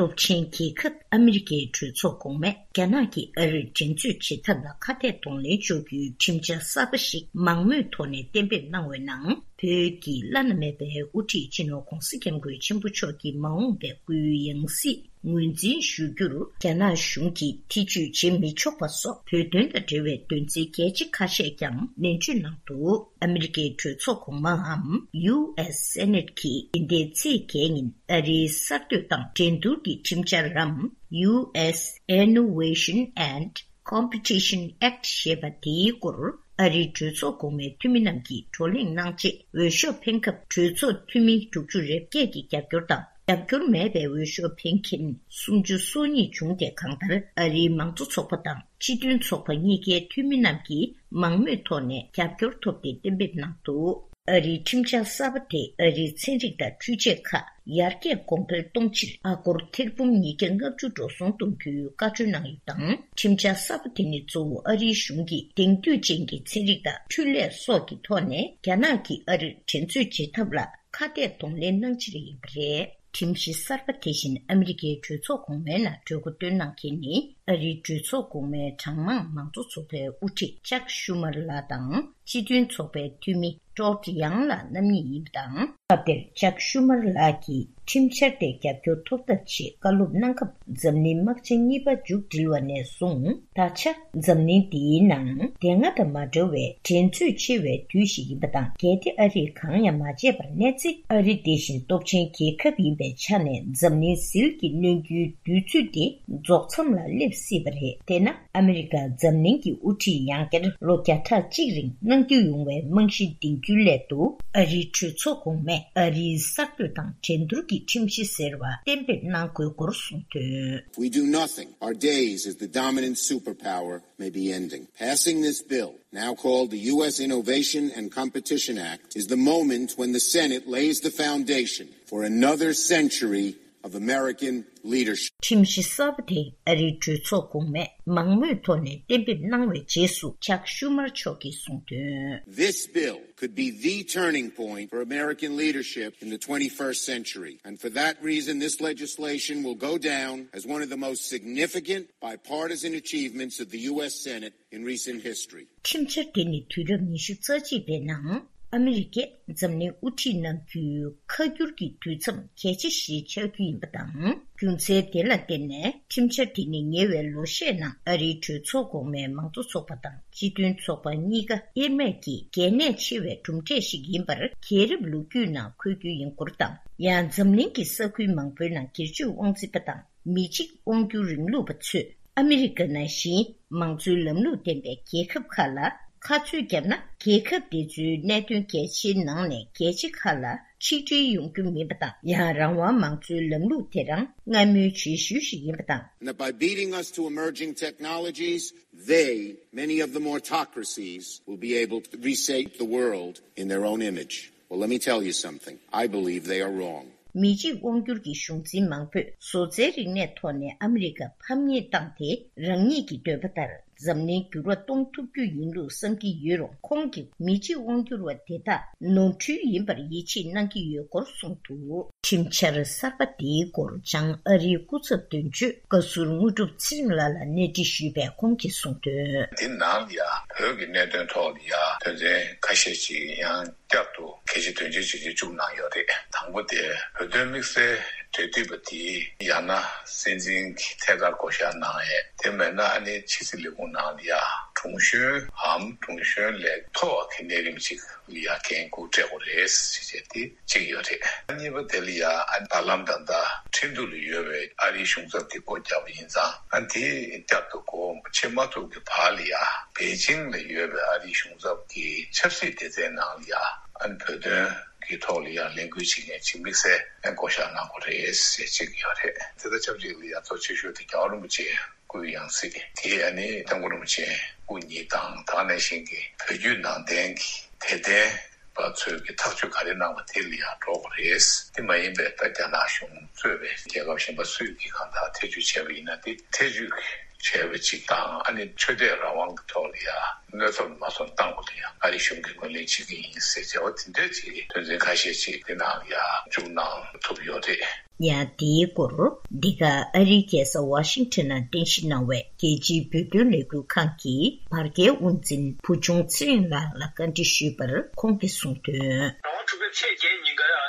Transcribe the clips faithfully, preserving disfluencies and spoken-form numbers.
སྟོབས་ཆེན་རྒྱལ་ཁབ་ཨ་མི་རི་ཀའི་གྲོས་ཚོགས་གོང་མས་རྒྱ་ནག་གིས་ཨ་རིར་འགྲན་རྩོད་བྱེད་ཐབས་ལ་ཁ་གཏད་གདོང་ལེན་གཅོག་རྒྱུའི་ཁྲིམས་འཆར་གསར་པ་ཞིག་མང་མོས་ཐོག་ནས་གཏན་འབེབས་གནང་བའི་ནང་། བོད་ཀྱི་བླ་ན་མེད་པའི་དབུ་ཁྲིད་སྤྱི་ནོར་༧གོང་ས་༧སྐྱབས་མགོན་ཆེན་པོ་མཆོག་གི་མ་འོངས་པའི་སྐུའི་ཡང་སྲིད་ངོས་འཛིན་ཞུ་རྒྱུར་རྒྱ་ནག་གཞུང་གིས་ཐེ་བྱུས་བྱེད་མི་ཆོག་པ་སོགས་བོད་དོན་དང་འབྲེལ་བའི་དོན་ཚན་གལ་ཆེ་ཁ་ཤས་ཀྱང་ནན་བརྗོད་གནང་འདུག་ཨ་མི་རི་ཀའི་གྲོས་ཚོགས་གོང་མའམ་ཡུ་ཨེས་སེ་ནེ་ཊི་གིས་འདི་ཟླའི་ཚེས་བརྒྱད་ཉིན་ཨ་རིའི་གསར་གཏོད་དང་འགྲན་བསྡུར་གྱི་ཁྲིམས་འཆར་རམ། ཡུ་ཨེས་Innovation and Competition Act ཞེས་པ་དེའི་སྐོར་ཨ་རིའི་གྲོས་ཚོགས་གོང་མའི་འཐུས་མི་རྣམས་ཀྱིས་བགྲོ་གླེང་གནང་རྗེས། འོས་ཤོག་འཕེན་སྐབས་གྲོས་ཚོགས་འཐུས་མི་དྲུག་ཅུ་རེ་བརྒྱད་ཀྱི་རྒྱབ་སྐྱོར་དང་། རྒྱབ་སྐྱོར་མེད་པའི་འོས་ཤོག་འཕེན་མཁན་སུམ་ཅུ་སོ་གཉིས་བྱུང་སྟེ། གང་ལྟར་ཨ་རིའི་མང་གཙོ་ཚོགས་པ་དང་སྤྱི་མཐུན་ཚོགས་པ་གཉིས་ཀའི་འཐུས་མི་རྣམས་ཀྱིས་མང་མོས་ཐོག་ནས་རྒྱབ་སྐྱོར་ཐོབ་སྟེ་གཏན་འབེབས་གནང་འདུག་ཨ་རིའི་ཁྲིམས་འཆར་གསར་པ་དེས་ཨ་རིའི་ཚན་རིག་དང་འཕྲུལ་ཆས་ཁག་ཡར་རྒྱས་གོང་འཕེལ་གཏོང་ཕྱིར་ཨ་སྒོར་ཐེར་འབུམ་ཉིས་བརྒྱ་ལྔ་བཅུ་འགྲོ་སོང་གཏོང་རྒྱུའི་བཀའ་འཁྲོལ་གནང་ཡོད་དང་། ཁྲིམས་འཆར་གསར་པ་དེ་ནི་གཙོ་བོ་ཨ་རིའི་གཞུང་གིས་དེང་དུས་ཅན་གྱི་ཚན་རིག་དང་འཕྲུལ་ལས་སོགས་ཀྱི་ཐོག་ནས་རྒྱ་ནག་གིས་ཨ་རིར་འགྲན་རྩོད་བྱེད་ཐབས་ལ་ཁ་གཏད་གདོང་ལེན་གནང་ཕྱིར་ཡིན་པ་རེད། ཁྲིམས་གཞི་གསར་པ་དེ་བཞིན་ཨ་མི་རི་ཀའི་གྲོས་ཚོགས་གོང་མའི་ནང་གྲོས་འགོ་བཏོན་གནང་མཁན་ནི་ཨ་རིའི་གྲོས་ཚོགས་གོང་མའི་གྲངས་མང་མང་གཙོ་ཚོགས་པའི་དབུ་ཁྲིད་ཅག་ཤུ་མར་ལགས་དང་། སྤྱི་མཐུན་ཚོགས་པའི་འཐུས་མི་ཀྲོད་ཡང་ལགས་རྣམ་གཉིས་ཡིན་པ་དང་། སྐབས་དེར་ཅག་ཤུ་མར་ལགས་ཀྱིས་ཁྲིམས་འཆར་དེ་རྒྱབ་སྐྱོར་ཐོབ་ཐབས་ཆེད་བཀའ་སློབ་གནང་སྐབས། འཛམ་གླིང་དམག་ཆེན་གཉིས་པ་མཇུག་སྒྲིལ་བ་ནས་བཟུང་ད་ཆ་འཛམ་གླིང་འདིའི་ནང་དེ་སྔ་དང་མ་འདྲ་བའི་འགྲན་རྩོད་ཆེ་བའི་དུས་ཤིག་ཡིན་པ་དང་། གལ་ཏེ་ཨ་རིས་གང་ཡང་མ་བྱས་པར་གནས་ཚེ། ཨ་རི་དེ་བཞིན་སྟོབས་ཆེན་རྒྱལ་ཁབ་ཡིན་པའི་ཆ་ནས་འཛམ་གླིང་ཟིལ་གྱིས་གནོན་རྒྱུའི་དུས་ཚོད་དེ་རྫོགས་མཚམས་ལ་སླེབས་སྲིད་པ་རེད། དེས་ན། ཨ་མི་རི་ཀ་འཛམ་གླིང་གི་དབུ་ཁྲིད་ཡང་བསྐྱར་ལོ་བརྒྱ་ཕྲག་གཅིག་རིང་གནང་རྒྱུ་ཡོང་བའི་རྨང་གཞི་འདིང་རྒྱུའི་སླད་དུ། ཨ་རིའི་གྲོས་ཚོགས་གོང་མས་ཨ་རིའི་གསར་གཏོད་དང་འགྲན་བསྡུར་གྱི་ཁྲིམས་གཞི་ཟེར་བ་གཏན་འབེབས་གནང་དགོས་སྐོར་གསུངས་དོན། If we do nothing, our days as the dominant superpower may be ending. Passing this bill, now called the U S Innovation and Competition Act, is the moment when the Senate lays the foundation for another century of American leadership. ཁྲིམས་གཞི་གསར་པ་དེ་ཨ་རིའི་གྲོས་ཚོགས་གོང་མས་མང་མོས་ཐོག་ནས་གཏན་འབེབས་གནང་བའི་རྗེས་སུ། ཅག་ཤུ་མར་མཆོག་གིས་གསུངས་དོན། This bill could be the turning point for American leadership in the twenty-first century. And for that reason, this legislation will go down as one of the most significant bipartisan achievements of the U S Senate in recent history. ཁྲིམས་འཆར་དེ་ནི་དུས་རབས་ཉི་ཤུ་རྩ་གཅིག་པའི་ནང་ཨ་མི་རི་ཀས་འཛམ་གླིང་དབུ་ཁྲིད་གནང་རྒྱུའི་ཁ་སྒྱུར་གྱི་དུས་མཚམས་གལ་ཆེ་ཞིག་ཆགས་རྒྱུ་ཡིན་པ་དང་། རྒྱུ་མཚན་དེ་ལ་བརྟེན་ནས་ཁྲིམས་འཆར་དེ་ནི་ཉེ་བའི་ལོ་ཤས་ནང་ཨ་རིའི་གྲོས་ཚོགས་གོང་མའི་མང་གཙོ་ཚོགས་པ་དང་སྤྱི་མཐུན་ཚོགས་པ་གཉིས་ཀ་དབྱེར་མེད་ཀྱི་གལ་གནད་ཆེ་བའི་གྲུབ་འབྲས་ཤིག་ཡིན་པར་རྒྱལ་རབས་ལོ་རྒྱུས་ནང་འཁོད་རྒྱུ་ཡིན་སྐོར་དང་། ཡང་འཛམ་གླིང་གི་ས་ཁུལ་མང་པོའི་ནང་སྒེར་གཅོད་དབང་འཛིན་པ་དང་མི་གཅིག་དབང་སྒྱུར་རིང་ལུགས་པ་ཚོས་ཨ་མི་རི་ཀ་ནང་བཞིན་མང་གཙོའི་ལམ་ལུགས་ལྡན་པའི་རྒྱལ་ཁབ་ཁག་ལ་ཁ་རྩོད་བརྒྱབ་ན། རྒྱལ་ཁབ་དེ་ཚོའི་གནད་དོན་གལ་ཆེའི་ནང་ནས་གལ་ཆེ་ཁག་ལ་ཆིག་སྒྲིལ་ཡོང་རྒྱུ་མིན་པ་དང་། ཡང་རང་དབང་མང་གཙོའི་ལམ་ལུགས་དེ་རང་སྔ་མོའི་རྗེས་ཤུལ་ཞིག་ཡིན་པ་དང་། Now, by beating us to emerging technologies, they, many of them autocracies, will be able to reshape the world in their own image. Well, let me tell you something. I believe they are wrong. མི་གཅིག་དབང་སྒྱུར་གྱི་གཞུང་འཛིན་མང་པོས་བཟོ་རྩལ་རིག་གནས་ཐོག་ནས་ཨ་མི་རི་ཀ་ཕམ་ཉེས་བཏང་སྟེ། རང་ཉིད་ཀྱི་འདོད་པ་ལྟར་འཛམ་གླིང་འགྱུར་བ་གཏོང་ཐུབ་རྒྱུ་ཡིན་ལུགས་བསམ་གྱི་ཡོད་རུང་། ཁོང་གིས་མི་གཅིག་དབང་སྒྱུར་བ་དེ་དག་ནོར་འཁྲུལ་ཡིན་པར་ཡིད་ཆེས་གནང་གི་ཡོད་སྐོར་གསུངས་འདུག་ཁྲིམས་འཆར་གསར་པ་དེའི་སྐོར་བྱང་ཨ་རིའི་སྐུ་ཚབ་དོན་གཅོད་བཀའ་ཟུར་དངོས་གྲུབ་ཚེ་རིང་ལགས་ལ་གནས་འདྲི་ཞུས་པས། ཁོང་གིས་གསུངས་དོན། འདི་ནང་ལ་ཡང་བོད་ཀྱི་གནད་དོན་ཐོག་ལ་ཡང་དོན་ཚན་ཁ་ཤས་ཅིག་ཡང་བསྐྱར་དུ་གལ་ཆེ་དོན་ཆེ་བྱས་ཏེ་བཅུག་གནང་ཡོད་རེད། དང་པོ་དེ་བོད་དོན་དམིགས་བསལ་འབྲེལ་མཐུད་པ་དེ་ཡང་ན་སྲིད་འཛིན་གྱིས་ཐད་ཀར་བསྐོ་བཞག་གནང་ཡས། དེ་མེད་ན་ཨ་ནི་ཕྱི་སྲིད་ལས་ཁུངས་ནང་ལ་ཡང་དྲུང་གཞོན་འམ་དྲུང་གཞོན་ལས་མཐོ་བ་གི་གནས་རིམ་ཅིག་ལ་ཡང་འགན་འཁུར་སྤྲད་དགོས་རེད་ཟེར་བྱས་དེ་གཅིག་ཡོད་རེད། གཉིས་པ་དེ་ལ་ཡང་ཨ་ནི་ད་ལམ་ད་ལྟ་ཁྲིན་ཏུ་ལ་ཡོད་པའི་ཨ་རིའི་གཞུང་ཚབ་དེ་སྒོ་བརྒྱབ་པ་ཡིན་ཙང་ཨ་ནི་དེ་བསྐྱར་དུ་སྒོ་ཕྱེ་མ་ཐུབ་ཀྱི་བར་ལ་ཡང་པེ་ཅིང་ལ་ཡོད་པའི་ཨ་རིའི་གཞུང་ཚབ་ཀྱི་ཆབ་སྲིད་སྡེ་ཚན་ནང་ལ་ཡང་ཨ་ནི་བོད་དོན་གྱི་ཐོག་ལ་ཡང་ལས་འགུལ་བྱེད་མཁན་ཅིག་དམིགས་བསལ་བསྐོ་བཞག་གནང་དགོས་རེད་ཟེར་གཅིག་ཡོད་རེད། དེ་དང་ཆབས་ཅིག་ལ་ཡང་གཙོ་ཆེ་ཤོས་དེ་རྒྱལ་བ་རིན་པོ་ཆེ་སྐུའི་ཡང་སྲིད་དེ་ཨ་ནི་སྐྱབས་མགོན་རིན་པོ་ཆེ་སྐུ་ཉིད་དང་ད་ག་ནང་བཞིན་གྱི་བོད་བརྒྱུད་ནང་བསྟན་གྱི་དད་ལྡན་པ་ཚོས་ཀྱི་ཐག་གཅོད་ག་རེ་གནང་བ་དེ་ལ་ཡང་འགྲོ་དགོས་རེད། དེ་མ་ཡིན་པའི་ད་རྒྱ་ནག་གཞུང་གཙོས་པའི་རྒྱལ་ཁབ་གཞན་པ་སུས་ཀྱིས་གང་ལྟར་ཐེ་བྱུས་བྱས་པ་ཡིན་ན་དེ་ཐེ་བྱུས་ཀྱི་ བྱས་པ་ཅིག་དང་། ཨ་ནི་ཆོས་དད་རང་དབང་གི་ཐོག་ལ་ཡ་གནོད་ཚབས་མ་སོང་བཏང་བ་དེ་ཡང་ཨ་རིའི་གཞུང་གིས་ངོས་ལེན་བྱེད་ཀྱི་ཡིན་ཟེར་བྱ་བ་དེ་འདྲ་ཅིག་དོན་ཚན་ཁ་ཤས་ཅིག་དེ་ནང་ཡ་བཅུག་གནང་ཐུབ་ཡོད་རེད། ཡང་དེའི་སྐོར་འདི་ག་ཨ་རིའི་རྒྱལ་ས་ཝ་ཤིང་ཊོན་ནང་རྟེན་གཞི་གནང་བའི་རྒྱལ་སྤྱིའི་བོད་དོན་ལས་འགུལ་ཁང་གི་བར་བརྒལ་དབུ་འཛིན་བུ་ཆུང་ཚེ་རིང་ལགས་ལ་བཀའ་འདྲི་ཞུས་པར་ཁོང་གིས་གསུངས་དོན། ཟླ་བ་དྲུག་པའི་ཚེས་བརྒྱད་ཉིན་ཀ་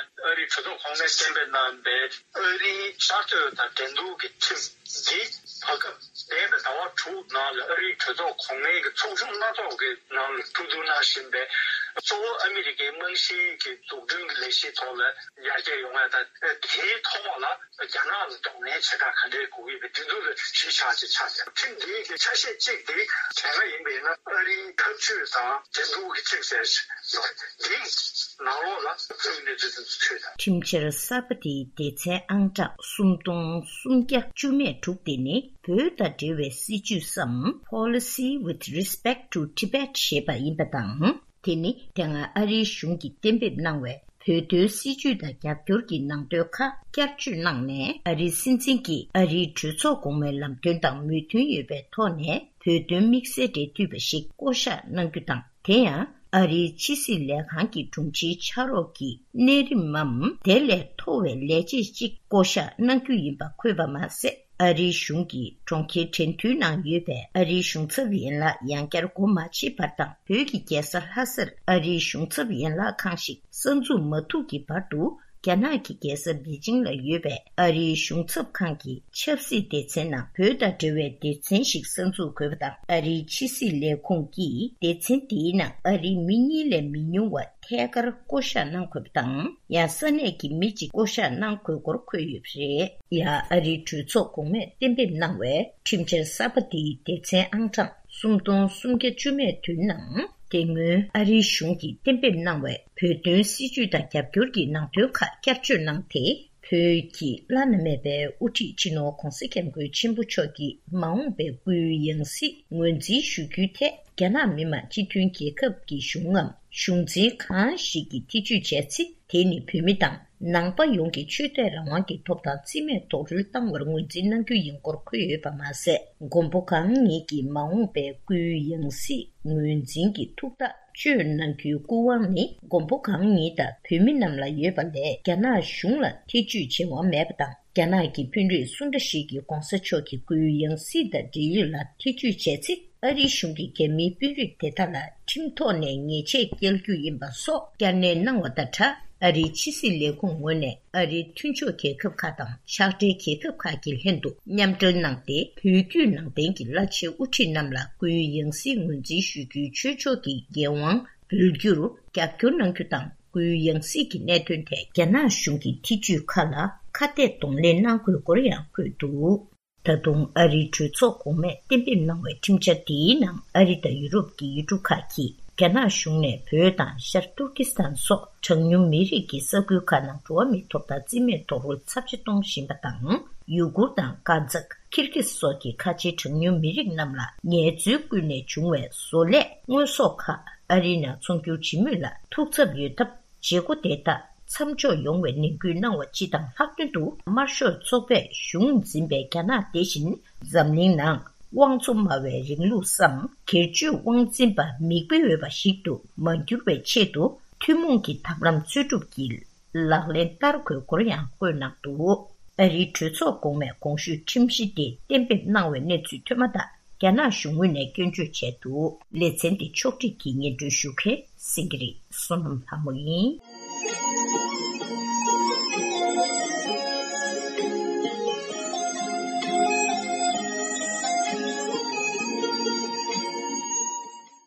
ཨ་རིའི་གྲོས་ཚོགས་གོང་མས་གཏན་འབེབས་གནང་བའི་ཨ་རིའི་གསར་གཏོད་དང་འགྲན་བསྡུར་གྱི་ཁྲིམས་འདི་བར་སྐབས་འདས་པའི་ཟླ་བ་དྲུག་ནང་ལ་ཨ་རིའི་གྲོས་ཚོགས་གོང་མའི་གི་ཚོགས་ཆུང་སྣ་ཚོགས་ཀྱི་ནང་ལ་གྲོས་བསྡུར་གནང་བཞིན་པའི་གཙོ་བོ་ཨ་མི་རི་ཀའི་རྨང་གཞིའི་གི་འཛུགས་སྐྲུན་གྱི་ལས་གཞིའི་ཐོག་ལ་ཡར་རྒྱས་ཡོང་བ་དང་། དེའི་ཐོག་ལ་རྒྱ་ནག་ལ་གདོང་ལེན་བྱེད་སྟངས་ག་འདྲའི་དགོས་ཀྱི་ཡོད་པའི་དེ་ཚོ་ལ་གཞི་བཞག་ཅིག་ཆགས་ཀྱང་། ཁྲིམས་འདིའི་གི་ཆ་ཤས་གཅིག་དེ་བྱས་པ་ཡིན་པས་ན་ཨ་རིའི་འཐབ་ཇུས་དང་འགྲན་བསྡུར་གྱི་ཆེད་ཟེར་ཡོད། འདིའི་ནང་ལོགས་ལ་གཙོས་གནས་ཚུལ་དེ་ཚོ་ཚུད་དང་། ཁྲིམས་འཆར་གསར་པ་དེའི་སྡེ་ཚན་ཨང་གྲངས་སུམ་སྟོང་སུམ་བརྒྱ་བཅུ་མེད་དྲུག་དེ་ནི་བོད་དང་འབྲེལ་བའི་སྲིད་ཇུས་སམ། Policy with respect to Tibet ཞེས་པ་ཡིན་པ་དང་། དེ་ནི་དེ་སྔ་ཨ་རིའི་གཞུང་གིས་གཏན་འབེབས་གནང་བའི་བོད་དོན་སྲིད་ཇུས་དང་རྒྱབ་སྐྱོར་གྱི་ནང་དོན་ཁག་བསྐྱར་བཅོས་གནང་ནས། ཨ་རིའི་སྲིད་འཛིན་གྱིས་ཨ་རིའི་གྲོས་ཚོགས་གོང་མའི་ལམ་སྟོན་དང་མོས་མཐུན་ཡོད་པའི་ཐོག་ནས་བོད་དོན་དམིགས་བསལ་འབྲེལ་མཐུད་པ་ཞིག་བསྐོ་གཞག་གནང་རྒྱུ་དང་། དེ་ཡང་ཨ་རིའི་ཕྱི་སྲིད་ལས་ཁང་གི་དྲུང་ཆེའི་ཕྱག་རོགས་ཀྱི་གནས་རིམ་མམ་དེ་ལས་མཐོ་བའི་ལས་བྱེད་ཅིག་བསྐོ་གཞག་གནང་རྒྱུ་ཡིན་པ་འཁོད་པ་མ་ཟད། ཨ་རིའི་གཞུང་གིས་གྲོང་ཁྱེར་ཁྲེན་ཏུའུ་ནང་ཡོད་པའི་ཨ་རིའི་གཞུང་ཚབ་ཡན་ལག་ཡང་བསྐྱར་སྒོ་མ་ཕྱེ་བར་དང་། བོད་ཀྱི་རྒྱལ་ས་ལྷ་སར་ཨ་རིའི་གཞུང་ཚབ་ཡན་ལག་ཁང་ཞིག་གསར་འཛུགས་མ་ཐུབ་ཀྱི་བར་དུ། རྒྱ་ནག་གི་རྒྱལ་ས་པེ་ཅིང་ལ་ཡོད་པའི་ཨ་རིའི་གཞུང་ཚབ་ཁང་གི་ཆབ་སྲིད་སྡེ་ཚན་ནང་བོད་དང་འབྲེལ་བའི་སྡེ་ཚན་ཞིག་གསར་འཛུགས་དགོས་པ་དང་། ཨ་རིའི་ཕྱི་སྲིད་ལས་ཁུངས་ཀྱིས་སྡེ་ཚན་དེའི་ནང་ཨ་རིའི་མི་གཉིས་ལས་མི་ཉུང་བ་ཐད་ཀར་བསྐོ་གཞག་གནང་དགོས་པ་དང་། ཡང་ས་གནས་ཀྱི་མི་གཅིག་བསྐོ་གཞག་གནང་དགོས་སྐོར་འཁོད་ཡོད་པ་རེད། ཡང་ཨ་རིའི་གྲོས་ཚོགས་གོང་མས་གཏན་འབེབས་གནང་བའི་ཁྲིམས་འཆར་གསར་པ་དེའི་སྡེ་ཚན་ཨང་གྲངས་སུམ་སྟོང་སུམ་བརྒྱ་བཅུ་མེད་བདུན་ནང་། དེ་སྔོན་ཨ་རིའི་གཞུང་གིས་གཏན་འབེབས་གནང་བའི་བོད་དོན་སྲིད་ཇུས་དང་རྒྱབ་སྐྱོར་གྱི་ནང་དོན་ཁག་བསྐྱར་བཅོས་གནང་སྟེ། བོད་ཀྱི་བླ་ན་མེད་པའི་དབུ་ཁྲིད་སྤྱི་ནོར་༧གོང་ས་༧སྐྱབས་མགོན་ཆེན་པོ་མཆོག་གི་མ་འོངས་པའི་སྐུའི་ཡང་སྲིད་ངོས་འཛིན་ཞུ་རྒྱུའི་ཐད། རྒྱ་ནག་མི་དམངས་སྤྱི་མཐུན་རྒྱལ་ཁབ་ཀྱི་གཞུང་ངམ་གཞུང་འཛིན་གང་ཞིག་གིས་ཐེ་བྱུས་བྱས་ཚེ། དེ་ནི་བོད་མི་དང་ནང་པ་ཡོངས་ཀྱི་ཆོས་དད་རང་དབང་གི་ཐོབ་ཐང་རྩིས་མེད་རྡོག་རོལ་བཏང་བར་ངོས་འཛིན་གནང་རྒྱུ་ཡིན་སྐོར་འཁོད་ཡོད་པ་མ་ཟད། མགོན་པོ་གང་ཉིད་ཀྱི་མ་འོངས་པའི་སྐུའི་ཡང་སྲིད་ངོས་འཛིན་གྱི་ཐུགས་ཐག་གཅོད་གནང་རྒྱུའི་སྐུ་དབང་ནི་མགོན་པོ་གང་ཉིད་དང་བོད་མི་རྣམས་ལ་ཡོད་པ་ལས། རྒྱ་ནག་གཞུང་ལ་ཐེ་བྱུས་བྱེད་དབང་མེད་པ་དང་། རྒྱ་ནག་གི་དཔོན་རིགས་སུ་འདྲ་ཞིག་གིས་༧གོང་ས་མཆོག་གི་སྐུའི་ཡང་སྲིད་དང་འབྲེལ་ཡོད་ལ་ཐེ་བྱུས་བྱས་ཚེ། ཨ་རིའི་གཞུང་གིས་རྒྱ་མིའི་དཔོན་རིགས་དེ་དག་ལ་ཁྲིམས་ཐོག་ནས་ཉེས་ཆད་བཀལ་རྒྱུ་ཡིན་པ་སོགས་བསྐྱར་ནན་གནང་བ་དང་སྦྲགས། ཨ་རིའི་ཕྱི་སྲིད་ལས་ཁུངས་ངོས་ནས་ཨ་རིའི་མཐུན་ཕྱོགས་རྒྱལ་ཁབ་ཁག་དང་ཕྱག་སྦྲེལ་རྒྱལ་ཁབ་ཁག་གི་ལྷན་དུ་མཉམ་འབྲེལ་གནང་སྟེ། བོད་བརྒྱུད་ནང་བསྟན་གྱི་བླ་ཆེན་དབུ་ཁྲིད་རྣམས་ལ་སྐུའི་ཡང་སྲིད་ངོས་འཛིན་ཞུ་རྒྱུའི་ཆོས་ཕྱོགས་ཀྱི་འགན་དབང་འབུལ་རྒྱུར་རྒྱབ་སྐྱོར་གནང་རྒྱུ་དང་། སྐུའི་ཡང་སྲིད་ཀྱི་གནད་དོན་ཐད་རྒྱ་ནག་གཞུང་གི་ཐེ་བྱུས་ཁག་ལ་ཁ་གཏད་གདོང་ལེན་གནང་དགོས་སྐོར་ཡང་འཁོད་འདུག། ད་དུང་ཨ་རིའི་གྲོས་ཚོགས་གོང་མས་གཏན་འབེབས་གནང་བའི་ཁྲིམས་འཆར་འདིའི་ནང་། ཨ་རི་དང་ཡུ་རོབ་ཀྱི་ཡུལ་གྲུ་ཁག་གིས་རྒྱ་ནག་གཞུང་ནས་བོད་དང་ཤར་ཏུར་ཀི་སི་ཐན་སོགས་གྲངས་ཉུང་མི་རིགས་ཀྱི་ས་ཁུལ་ཁག་ནང་འགྲོ་བ་མིའི་ཐོབ་ཐང་རྩིས་མེད་རྡོག་རོལ་ཚབས་ཆེ་གཏོང་བཞིན་པ་དང་། ཡུ་གུར་དང་ཀ་ཛག་ཁིར་གིས་སོགས་ཀྱི་ཁ་ཆེའི་གྲངས་ཉུང་མི་རིགས་རྣམས་ལ་ངལ་རྩོལ་བསྐུལ་ནས་བྱུང་བའི་བཟོ་ལས་དངོས་ཟོག་ཁག་ཨ་རིའི་ནང་ཚོང་སྒྱུར་བྱེད་མུས་ལ་ཐུགས་འཚབ་ཡོད་སྟབས། བྱེད་སྒོ་དེ་དག་མཚམས་འཇོག་ཡོང་བའི་ནན་སྐུལ་གནང་བ་སྤྱི་དང་ལྷག་དོན་དུ་དམར་ཤོག་ཚོགས་པས་གཞུང་འཛིན་པའི་རྒྱ་ནག་དེ་བཞིན་འཛམ་གླིང་ནང་དབང་གཙོ་སྨྲ་བའི་རིང་ལུགས་སམ་སྒེར་གཅོད་དབང་འཛིན་པ་མིག་དཔེ་འོས་པ་ཞིག་ཏུ་མ་འགྱུར་བའི་ཆེད་དུ་ཐུན་མོང་གི་ཐབས་ལམ་འཚོལ་སྒྲུབ་ཀྱིས་ལག་ལེན་བསྟར་དགོས་སྐོར་ཡང་བཀོད་གནང་འདུག། ཨ་རིའི་གྲོས་ཚོགས་གོང་མས་གོང་ཞུས་ཁྲིམས་གཞི་དེ་གཏན་འབེབས་གནང་བའི་གནས་ཚུལ་ཐོས་མ་ཐག་རྒྱ་ནག་གཞུང་ངོས་ནས་སྐྱོན་བརྗོད་བྱས་འདུག། ལེ་ཚན་འདི་ཕྱོགས་སྒྲིག་གིས་སྙན་སྒྲོན་ཞུ་མཁན་སེང་གེ་རི་བསོད་ནམས་ལྷ་མོ་ཡིན།